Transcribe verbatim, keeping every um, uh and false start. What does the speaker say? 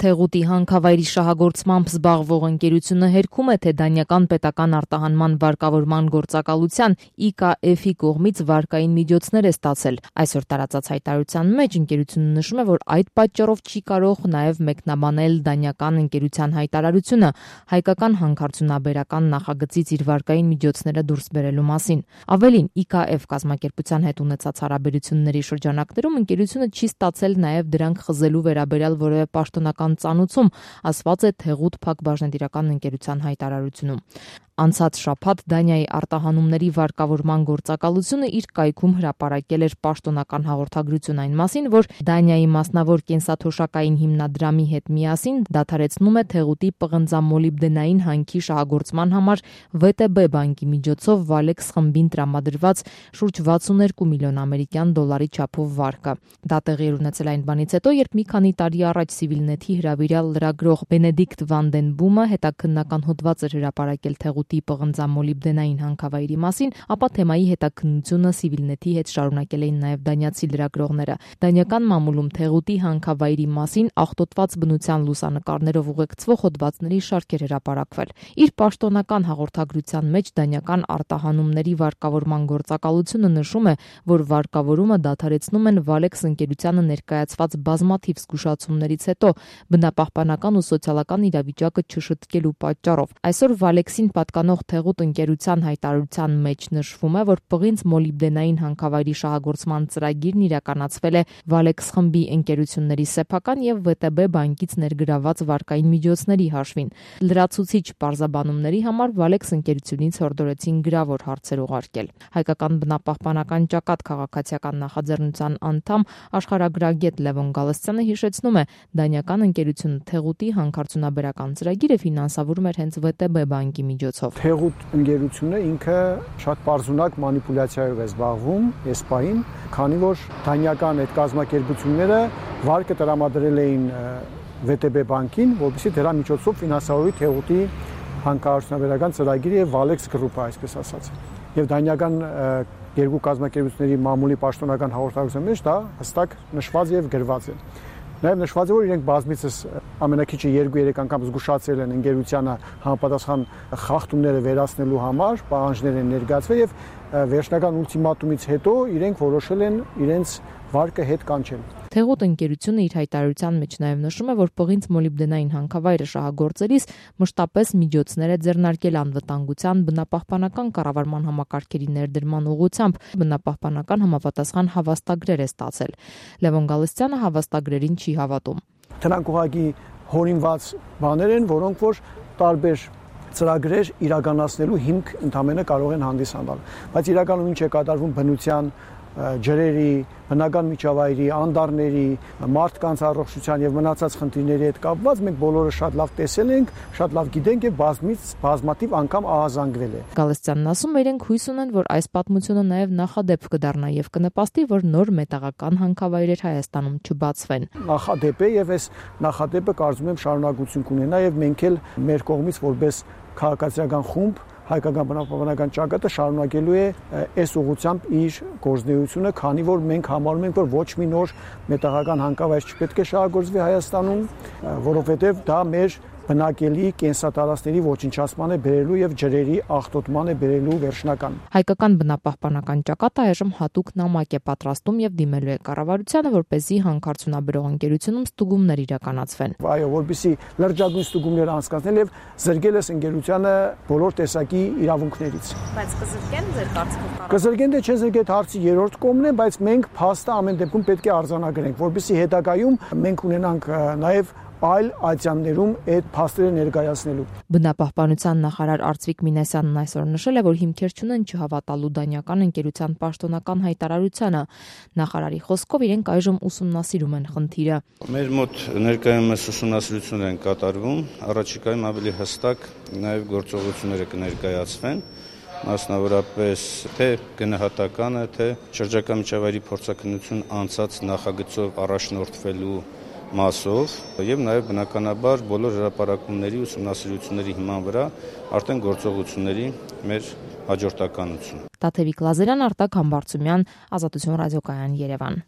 Թեղուտի հանքավայրի շահագործմամբ զբաղվող ընկերությունը հերքում է, թե դանիական պետական արտահանման վարկավորման գործակալության I K F-ի կողմից վարկային միջոցներ է ստացել։ Այսօր տարածած հայտարարության մեջ ընկերությունը նշում է, որ այդ պատճառով չի կարող նաև մեկնաբանել դանիական ընկերության հայտարարությունը հայկական հանքարդյունաբերական նախագծից իր վարկային միջոցները դուրս բերելու մասին։ Ավելին, I K F կազմակերպության հետ ունեցած հարաբերությունների շրջանակներում ընկերությունը չի ստացել նաև դրանք խզելու վերաբերյալ որևէ պաշտոնական ծանուցում, ասված է Թեղուտ Փակ բաժնետիրական ընկերության հայտարարությունում։ Անցած շաբաթ Դանիայի արտահանումների վարկավորման գործակալությունը իր կայքում հրապարակել էր պաշտոնական հաղորդագրություն այն մասին, որ Դանիայի մասնավոր կենսաթոշակային հիմնադրամի հետ միասին դադարեցնում է Թեղուտի պղնձամոլիբդենային հանքի շահագործման համար V T B բանկի միջոցով Valex խմբին տրամադրված շուրջ վաթսուններկու միլիոն ամերիկյան դոլարի չափով վարկը։ Դա տեղի էր ունեցել այն բանից հետո, երբ մի քանի տարի առաջ Civilnet-ի հրավիրյալ լրագրող Բենեդիկտ Վան դեն Բումը հետաքննական հոդված էր հրապարակել Թեղուտի պղնձամոլիբդենային հանքավայրի մասին, ապա թեմայի հետաքննությունը Civilnet-ի հետ շարունակել էին նաև դանիացի լրագրողները։ Դանիական մամուլում Թեղուտի հանքավայրի մասին աղտոտված բնության լուսանկարներով ուղեկցվող հոդվածների շարք էր հրապարակվել։ Իր պաշտոնական հաղորդագրության մեջ դանիական արտահանումների վարկավորման գործակալությունը նշում է, որ վարկավորումը դադարեցնում են Valex ընկերությանը ներկայացված բազմաթիվ զգուշացումներից հետո բնապահպանական ու սոցիալական իրավիճակը չշտկելու պատճառով։ Այսօր Valex-ին պատկանող Թեղուտ ընկերության հայտարարության մեջ նշվում է, որ պղինձ մոլիբդենային հանքավայրի շահագործման ծրագիրն իրականացվել է Valex խմբի ընկերությունների սեփական եւ V T B բանկից ներգրաված վարկային միջոցների հաշվին։ Լրացուցիչ պարզաբանումների համար Valex ընկերությունից հորդորեցին գրավոր հարցեր ուղարկել։ Հայկական բնապահպանական ճակատ քաղաքացիական նախաձեռնության անդամ աշխարհագրագետ Լևոն Գալստյանը հիշեցնում է, դանիական ընկերությունը Թեղուտի հանքարդյունաբերական ծրագիրը ֆինանսավորում էր հենց V T B բանկի միջոցով։ Թեղուտ ընկերությունը ինքը շատ պարզունակ մանիպուլյացիայով է զբաղվում էսպային, քանի որ դանիական այդ կազմակերպությունները վարկը տրամադրել էին V T B բանկին, որովհետեւ դրա միջոցով ֆինանսավորի Թեղուտի հանքարդյունաբերական ծրագիրը եւ Valex գրուպը, այսպես ասած։ Եվ դանիական երկու կազմակերպությունների մամուլի պաշտոնական հաղորդագրության մեջ դա հստակ նշված եւ գրված է։ Նաև նշված է, որ իրենք բազմիցս ամենակիչը երկու-երեք անգամ զգուշացրել են ընկերությանը համապատասխան խախտումները վերացնելու համար, պահանջներ են ներկայացվել եւ վերջնական ուլտիմատումից հետո իրենք որոշել են իրենց վարկը հետ կանչել։ Թեղուտ ընկերությունը իր հայտարարության մեջ նաև նշում է, որ պղինձ մոլիբդենային հանքավայրը շահագործելիս մշտապես միջոցներ է ձեռնարկել անվտանգության բնապահպանական կառավարման համակարգերի ներդրման ուղղությամբ, բնապահպանական համապատասխան հավաստագրեր է ստացել։ Լևոն Գալստյանը հավաստագրերին չի հավատում։ Դրանք ուղղակի հորինված բաներ են, որոնք որ տարբեր ծրագրեր իրականացնելու հիմք ընդհանրապես կարող են հանդիսանալ։ Բայց իրականում ինչ է կատարվում բնության, ջրերի, բնական միջավայրի, անդառների, մարդկանց առողջության եւ մնացած խնդիրների հետ կապված մենք բոլորը շատ լավ տեսել ենք, շատ լավ գիտենք եւ բազմից բազմատիվ անգամ ահազանգվել է։ Գալստյանն ասում է, իրենք հույս ունեն, որ այս պատմությունը նաեւ նախադեպ կդառնա եւ կնպաստի, որ նոր մետաղական հանքավայրեր Հայաստանում չբացվեն։ Նախադեպ է եւ այս նախադեպը կարծում եմ շարունակություն կունենա եւ մենք էլ մեր կողմից որպես քաղաքացիական խումբ հայկական բնապահպանական ճակատը շարունակելու է այս ուղղությամբ իր գործունեությունը, քանի որ մենք համարում ենք, որ ոչ մի նոր մետաղական հանքավայր չպետք է շահագործվի Հայաստանում, որովհետև դա մեր բնակելի կենսատարածքների ոչնչացման է բերելու եւ ջրերի աղտոտման է բերելու վերջնական։ Հայկական բնապահպանական ճակատը այժմ հատուկ նամակ է պատրաստում եւ դիմելու է կառավարությանը, որպեսզի հանքարդյունաբերող ընկերությունում ստուգումներ իրականացվեն։ Այո, որպեսզի լրջագույն ստուգումներ անցկացնել եւ զրկել այս ընկերությանը բոլոր տեսակի իրավունքներից։ Բայց կզրկեն ձեր կարծիքով։ Կզրկեն թե չեն զրկել հարցի երրորդ կողմն է, բայց մենք փաստը ամեն դեպքում պետք է արձանագրենք, որպեսզի հետագայում մենք ունենանք նաեւ այլ ատյաններում այդ փաստերը ներկայացնելու։ Բնապահպանության նախարար Արծվիկ Մինասյանն այսօր նշել է, որ հիմքեր չունեն չհավատալու դանիական ընկերության պաշտոնական հայտարարությանը։ Նախարարի խոսքով իրենք այժմ ուսումնասիրում են խնդիրը։ Մեր մոտ ներկայումս ուսումնասիրություններ են կատարվում, առաջիկայում ավելի հստակ նաև գործողությունները կներկայացվեն, մասնավորապես թե գնահատականը, թե շրջակա միջավայրի փորձաքննություն անցած նախագծով առաջնորդվելու մասով եւ նաեւ բնականաբար բոլոր հրապարակումների ուսումնասիրությունների հիման վրա արդեն գործողությունների մեր հաջորդականություն։ Տաթևիկ Լազարյան, Արտակ Համբարձումյան, Ազատություն ռադիոկայան, Երևան։